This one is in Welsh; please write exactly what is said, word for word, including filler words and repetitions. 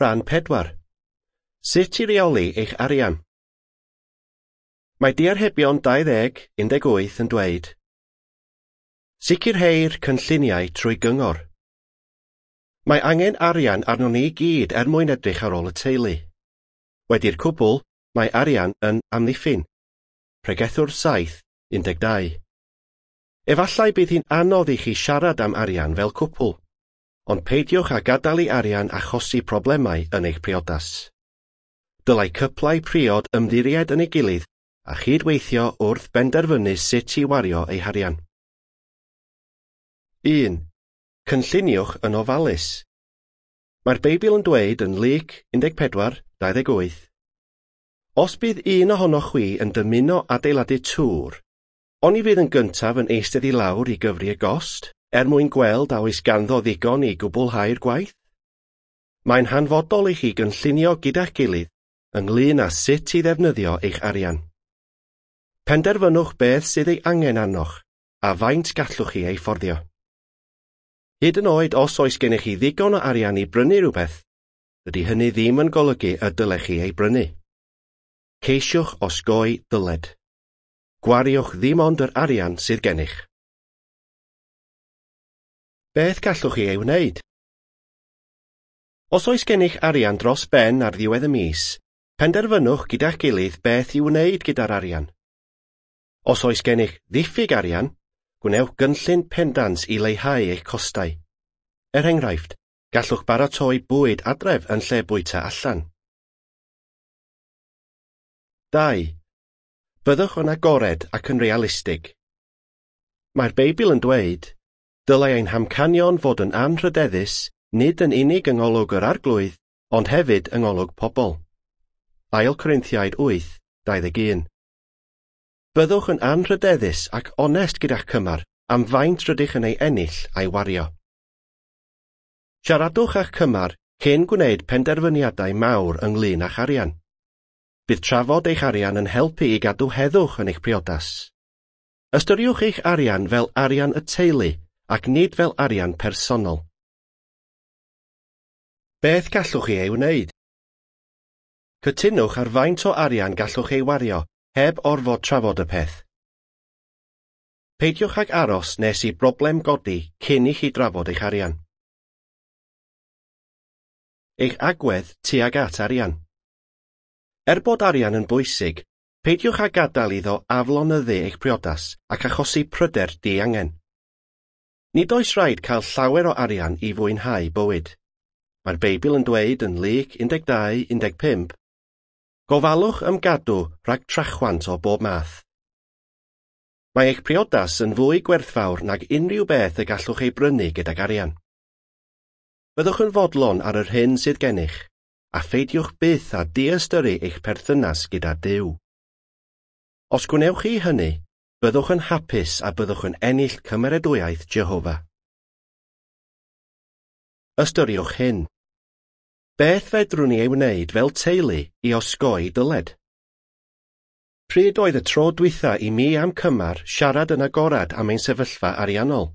Rhan pedwar. Sut i reoli eich arian? Mae Diarhebion dau ddeg un deg wyth yn dweud, Sicrheir cynlluniau trwy gyngor. Mae angen arian arnon ni i gyd er mwyn edrych ar ôl y teulu. Wedi'r cwbl, mae arian yn amddiffyn. Pregethwr saith, un deg dau. Efallai bydd hi'n anodd i chi siarad am arian fel cwpl, ond peidiwch â gadael i arian achosi problemau yn eich priodas. Dylai cyplau priod ymddiried yn ei gilydd a chydweithio wrth benderfynu sut i wario eu harian. un. Cynlluniwch yn ofalus. Mae'r Beibl yn dweud yn Luc un deg pedwar, dau ddeg wyth, Os bydd un ohonoch chwi yn dymuno adeiladu tŵr, oni fydd yn gyntaf yn eistedd i lawr i gyfri y gost, er mwyn gweld a oes ganddo ddigon i gwblhau'r gwaith? Mae'n hanfodol i chi gynllunio gyda'ch gilydd ynglŷn â sut i ddefnyddio eich arian. Penderfynwch beth sydd ei angen arnoch, a faint gallwch chi ei fforddio. Hyd yn oed os oes gennych chi ddigon o arian i brynu rhywbeth, dydy hynny ddim yn golygu y dylech chi ei brynu. Ceisiwch osgoi dyled. Gwariwch ddim ond yr arian sydd gennych. Beth gallwch chi ei wneud? Os oes gennych arian dros ben ar ddiwedd y mis, penderfynwch gyda'ch gilydd beth i'w wneud gyda'r arian. Os oes gennych ddiffyg arian, gwnewch gynllun pendant i leihau eich costau. Er enghraifft, gallwch baratoi bwyd adref yn lle bwyta allan. Dau. Byddwch yn agored ac yn realistig. Mae'r Beibl yn dweud, dylai ein hamcanion fod yn anrhydeddus, nid yn unig yng ngolwg yr Arglwydd, ond hefyd yng ngolwg pobl. Ail Corinthiaid wyth, dau ddeg un. Byddwch yn anrhydeddus ac onest gyda'ch cymar am faint rydych yn ei ennill a'i wario. Siaradwch â'ch cymar cyn gwneud penderfyniadau mawr ynglŷn â'ch arian. Bydd trafod eich arian yn helpu i gadw heddwch yn eich priodas. Ystyriwch eich arian fel arian y teulu ac nid fel arian personol. Beth gallwch chi ei wneud? Cytunwch ar faint o arian gallwch ei wario heb orfod trafod y peth. Peidiwch ag aros nes i broblem godi cyn i chi drafod eich arian. Eich agwedd tuag at arian. Er bod arian yn bwysig, peidiwch â gadael iddo aflonyddu eich priodas ac achosi pryder diangen. Nid oes rhaid cael llawer o arian i fwynhau bywyd. Mae'r Beibl yn dweud yn Luc un deg dau, un deg pump, Gofalwch ymgadw rhag trachwant o bob math. Mae eich priodas yn fwy gwerthfawr nag unrhyw beth y gallwch ei brynu gydag arian. Byddwch yn fodlon ar yr hyn sydd gennych, a pheidiwch byth â diystyru eich perthynas gyda Duw. Os gwnewch chi hynny, byddwch yn hapus a byddwch yn ennill cymeradwyaeth Jehofa. Ystyriwch hyn. Beth fedrwn ni ei wneud fel teulu i osgoi dyled? Pryd oedd y tro dwytha i mi a'm cymar siarad yn agorad am ein sefyllfa ariannol?